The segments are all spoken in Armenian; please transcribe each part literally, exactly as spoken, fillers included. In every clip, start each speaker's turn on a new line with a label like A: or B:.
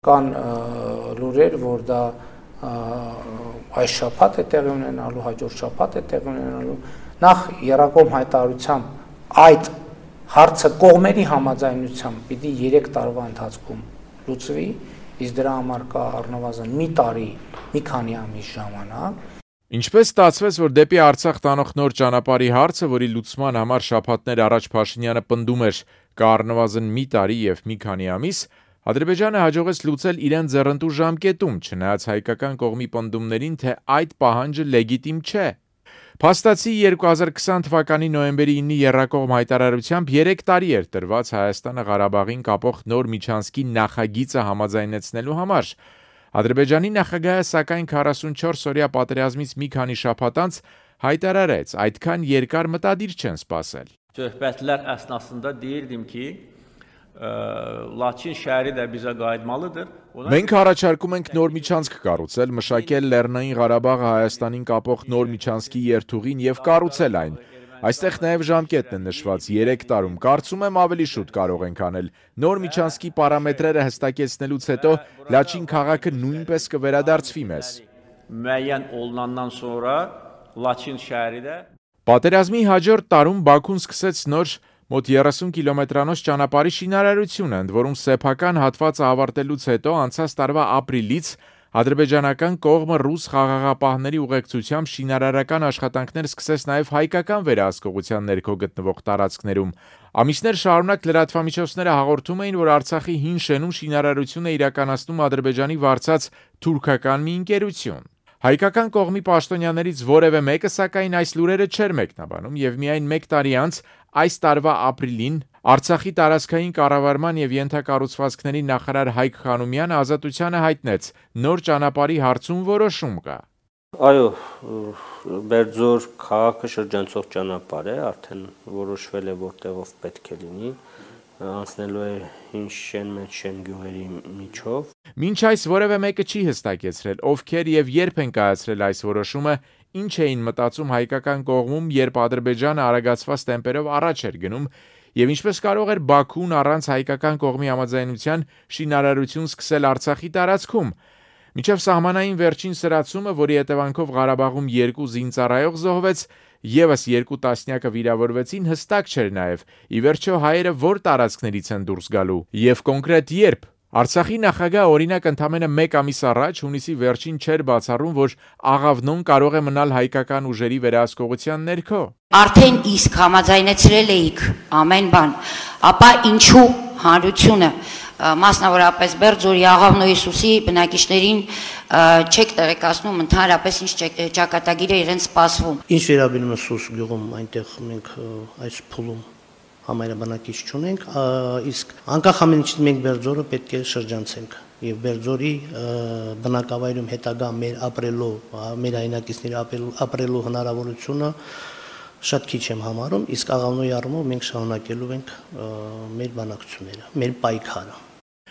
A: Կան լուրեր, որ դա այս շաբաթ է տեղի ունենալու, հաջորդ շաբաթ է տեղի ունենալու, նախ եռակողմ հայտարարությամբ այդ հարցը կողմերի համաձայնությամբ պիտի երեք տարվա ընթացքում լուծվի, իսկ դրա համար կա առնվազն մի տարի, մի քանի ամիս ժամանակ։
B: Ինչպես ստացվեց, որ դեպի Արցախ տանող նոր ճանապարհի հարցը, որի լուծման համար շաբաթներ առաջ Փաշինյանը պնդում էր, կա առնվազն մի տարի եւ մի քանի ամիս, Ադրբեջանը հաջողեց լուծել իրեն ձեռնտու ժամկետում, չնայած հայկական կողմի պնդումներին, թե այդ պահանջը լեգիտիմ չէ։ Փաստացի երկու հազար քսան թվականի նոյեմբերի ինի եռակողմ հայտարարությամբ երեք տարի էր տրված Հայաստանը Ղարաբաղին կապող նոր միջանցքի նախագիծը համաձայնեցնելու համար։ Ադրբեջանի նախագահը սակայն քառասունչորս օրյա պատերազմից մի քանի շաբաթ անց հայտարարեց, այդքան երկար մտադիր չեն սպասել։
C: Söhbətlər əsnasında deyirdim ki, Laçin şəhəri də bizə qayıtmalıdır.
B: Մենք առաջարկում ենք նոր միջանցք կառուցել, մշակել Լեռնային Ղարաբաղը Հայաստանին կապող նոր միջանցքի երթուղին եւ կառուցել այն։ Այստեղ նաև ժամկետն է նշված երեք տարում, կարծում եմ ավելի շուտ կարող ենք անել։ Նոր միջանցքի պարամետրերը հստակեցնելուց հետո Լաչին քաղաքը նույնպես կվերադարձվի մեզ։
C: Müəyyən olunandan sonra Laçin şəhəri də
B: Պատերազմի հաջորդ տարում Բաքուն սկսեց նոր մոտ երեսուն կիլոմետրանոց ճանապարհի շինարարությունը, ընդ որում սեփական հատվածը ավարտելուց հետո անցած տարվա ապրիլից ադրբեջանական կողմը ռուս խաղաղապահների ուղեկցությամբ շինարարական աշխատանքներ սկսեց նաև հայկական վերահսկողության ներքո գտնվող տարածքներում։ Ամիսներ շարունակ լրատվամիջոցները հաղորդում էին, որ Արցախի հին շենում շինարարությունը իրականացնում Ադրբեջանի վարձած թուրքական մի ընկերություն։ Հայկական կողմի պաշտոնյաներից որևէ մեկը սակայն այս լուրերը չէր մեկնաբանում եւ միայն մեկ տարի անց այս տարվա ապրիլին Արցախի տարածքային կառավարման եւ ենթակառուցվածքների նախարար Հայկ Խանոմյանը Ազատությանը հայտնեց նոր ճանապարհի հարցում որոշում կա։
D: Այո, Բերձոր քաղաքը շրջանցող ճանապարհ է, արդեն որոշվել է որտեղով պետք է լինի, անցնելու է հին շեն մեծ շեն գյուղերի միջով։
B: Մինչ այս որևէ մեկը չի հստակեցրել, ովքեր եւ երբ են կայացրել այս որոշումը, ինչ էին մտածում հայկական կողմում, երբ Ադրբեջանը արագացված տեմպերով առաջ էր գնում, եւ ինչպես կարող էր Բաքուն առանց հայկական կողմի համաձայնության շինարարություն սկսել Արցախի տարածքում։ Մինչև սահմանային վերջին սրացումը, որի հետևանքով Ղարաբաղում երկու զինծառայող զոհվեց, եւս երկու տասնյակը վիրավորվեցին, հստակ չէր նաեւ, ի վերջո հայերը որ տարածքներից են դուրս գալու եւ կոնկրետ երբ։ Արցախի նախագահ օրինակ ընդամենը մեկ ամիս առաջ հունիսի վերջին չէր բացառում, որ Աղավնոն կարող է մնալ հայկական ուժերի վերահսկողության ներքո։
E: Արդեն իսկ համաձայնեցրել էիք ամեն բան, ապա ինչու հանրությունը մասնավորապես Բերձորի Աղավնոյի Սուսի բնակիչներին չեք տեղեկացնում ընդհանրապես ինչ ճակատագիր է իրենց սպասվում։
F: Ինչ վերաբերում է Սուս գյուղում, այնտեղ մենք այս փուլում համայնաբնակիչ չունենք, իսկ անկախ ամեն ինչից մենք Բերձորը պետք է շրջանցենք եւ Բերձորի բնակավայրում հետագա մեր ապրելու, մեր հայրենակիցների ապրելու հնարավորությունը շատ քիչ եմ համարում, իսկ Աղավնոյի առումով մենք շարունակելու ենք մեր բանակցությունները, մեր պայքարը։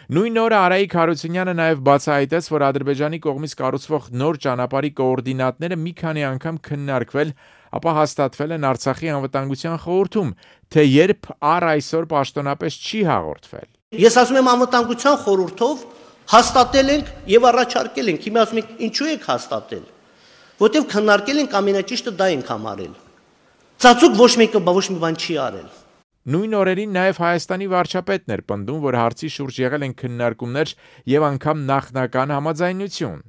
B: Նույն օրը Արայիկ Հարությունյանը նաև բացահայտեց, որ Ադրբեջանի կողմից կառուցվող նոր ճանապարհի կոորդինատները մի քանի անգամ քննարկվել, ապա հաստատվել են Արցախի անվտանգության խորհրդում, թե երբ առ այսօր պաշտոնապես չի հաղորդվել։
F: Ես ասում եմ անվտանգության խորհրդով հաստատել ենք եւ առաջարկել ենք։ Հիմա ասում եք ինչու եք հաստատել։ Որտեւ քննարկել ենք ամենաճիշտը դա ենք համարել։ Ծածուկ ոչ մեկը ոչ մի բան չի արել։
B: Նույն օրերին նաև Հայաստանի վարչապետն էր պնդում, որ հարցի շուրջ եղել են քննարկումներ եւ անգամ նախնական համաձայնություն։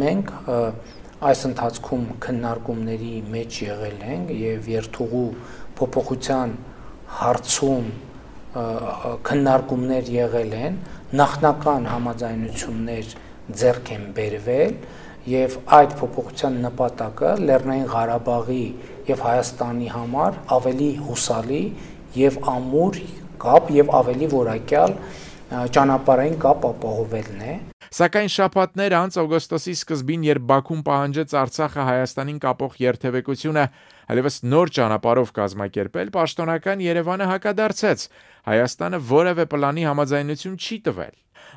A: Մենք այս ընթացքում քննարկումների մեջ եղել ենք եւ երթուղու փոփոխության հարցում քննարկումներ եղել են, նախնական համաձայնություններ ձեռք են բերվել եւ այդ փոփոխության նպատակը Լեռնային Ղարաբաղի եւ Հայաստանի համար ավելի հուսալի եւ ամուր կապ եւ ավելի որակյալ ճանապարհային կապ ապահովելն է։
B: Սակայն շաբաթներ անց օգոստոսի սկզբին, երբ Բաքուն պահանջեց Արցախը Հայաստանին կապող երթևեկությունը այլևս նոր ճանապարհով կազմակերպել, պաշտոնական Երևանը հակադարձեց։ Հայաստանը որևէ պլանի համաձայնություն չի տվել։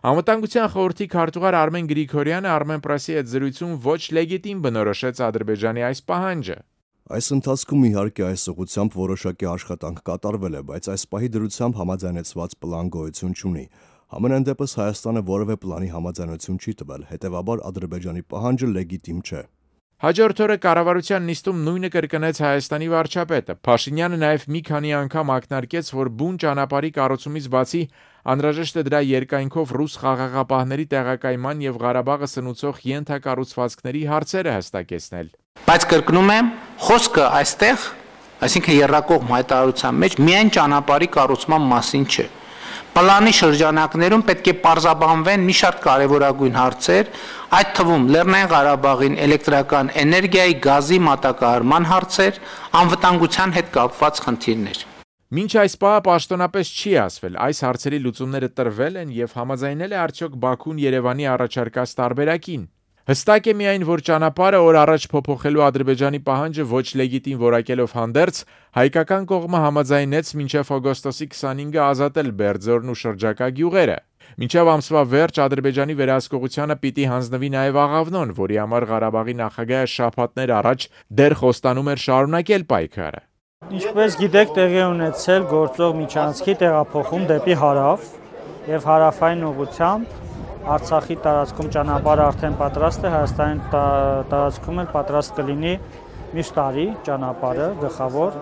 B: Անվտանգության խորհրդի քարտուղար Արմեն Գրիգորյանը Armenpress-ի հետ զրույցում ոչ լեգիտիմ բնորոշեց Ադրբեջանի այս պահանջը։
G: Այս ընթացքում իհարկե այս ուղղությամբ որոշակի աշխատանք կատարվել է, բայց այս պահի դրությամբ համաձայնեցված պլան գոյություն չունի։ Համենայն դեպս Հայաստանը որևէ պլանի համաձայնություն չի տվել, հետևաբար Ադրբեջանի պահանջը լեգիտիմ չէ։
B: Հաջորդ օրը կառավարության նիստում նույնը կրկնեց Հայաստանի վարչապետը։ Փաշինյանը նաև մի քանի անգամ ակնարկեց, որ բուն ճանապարհի կառուցումից բացի անհրաժեշտ է դրա երկայնքով ռուս խաղաղապահների տեղակայման եւ Ղարաբաղը սնուցող ենթակառուցվածքների հարցերը հստակեցնել։
A: Բայց կրկնում եմ, խոսքը այստեղ, այսինքն երրակողմ հայտարարության մեջ միայն ճանապարհի կառուցման մասին չէ։ Պլանի շրջանակներում պետք է պարզաբանվեն մի շարք կարևորագույն հարցեր, այդ թվում Լեռնային Ղարաբաղին էլեկտրական էներգիայի, գազի մատակարարման հարցեր, անվտանգության հետ կապված խնդիրներ։
B: Մինչ այս պահը պաշտոնապես չի ասվել, այս հարցերի լուծումները տրվել են եւ համաձայնել է արդյոք Բաքուն Երևանի առաջարկած տարբերակին։ Հստակ է միայն, որ ճանապարհը օր առաջ փոփոխելու Ադրբեջանի պահանջը ոչ լեգիտիմ որակելով հանդերձ, հայկական կողմը համաձայնեց մինչև օգոստոսի քսանինը ազատել Բերձորն ու շրջակա գյուղերը։ Մինչև ամսվա վերջ Ադրբեջանի վերահսկողությանը պիտի հանձնվի նաև Աղավնոն, որի համար Ղարաբաղի նախագահը շաբաթներ առաջ դեռ խոստանում էր շարունակել պայքարը։
H: Ինչպես գիտեք, տեղի ունեցել գործող միջանցքի տեղափոխում դեպի հարավ եւ հարավային ուղղությամբ Արցախի տարածքում ճանապարհը արդեն պատրաստ է, Հայաստանի տարածքում էլ պատրաստ կլինի միշտ տարի ճանապարհը գլխավոր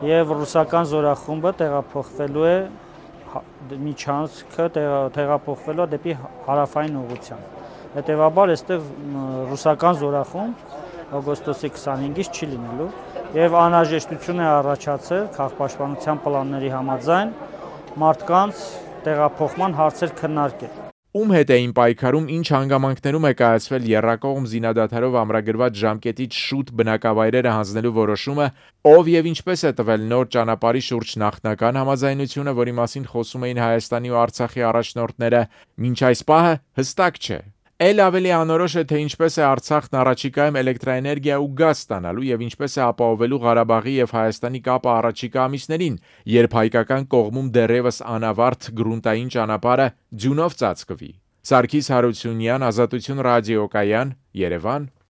H: եւ ռուսական զորախումբը տեղափոխվելու է միջանցքը տեղափոխվելու է դեպի հարավային ուղղությամբ։ Հետևաբար այստեղ ռուսական զորախումբ օգոստոսի քսանինից չի լինելու եւ անհրաժեշտություն է առաջացել քաղաքապաշտպանության պլանների համաձայն մարդկանց տեղափոխման հարցեր քննարկել։
B: Ում հետ էին պայքարում, ինչ հանգամանքներում է կայացվել եռակողմ զինադադարով ամրագրված ժամկետից շուտ բնակավայրերը հանձնելու որոշումը, ով եւ ինչպես է տվել նոր ճանապարհի շուրջ նախնական համաձայնությունը, որի մասին խոսում էին Հայաստանի ու Արցախի առաջնորդները, մինչ այս պահը հստակ չէ։ Էլ ավելի անորոշ է, թե ինչպես է Արցախն առաջիկայում էլեկտրաէներգիա ու գազ ստանալու եւ ինչպես է ապահովելու Ղարաբաղի եւ Հայաստանի կապը առաջիկա ամիսներին, երբ հայկական կողմում դեռևս անավարտ գրունտային ճանապարհը ձյունով ծածկվի։ Սարգիս Հարությունյան, Ազատություն ռադիոկայան, Երևան։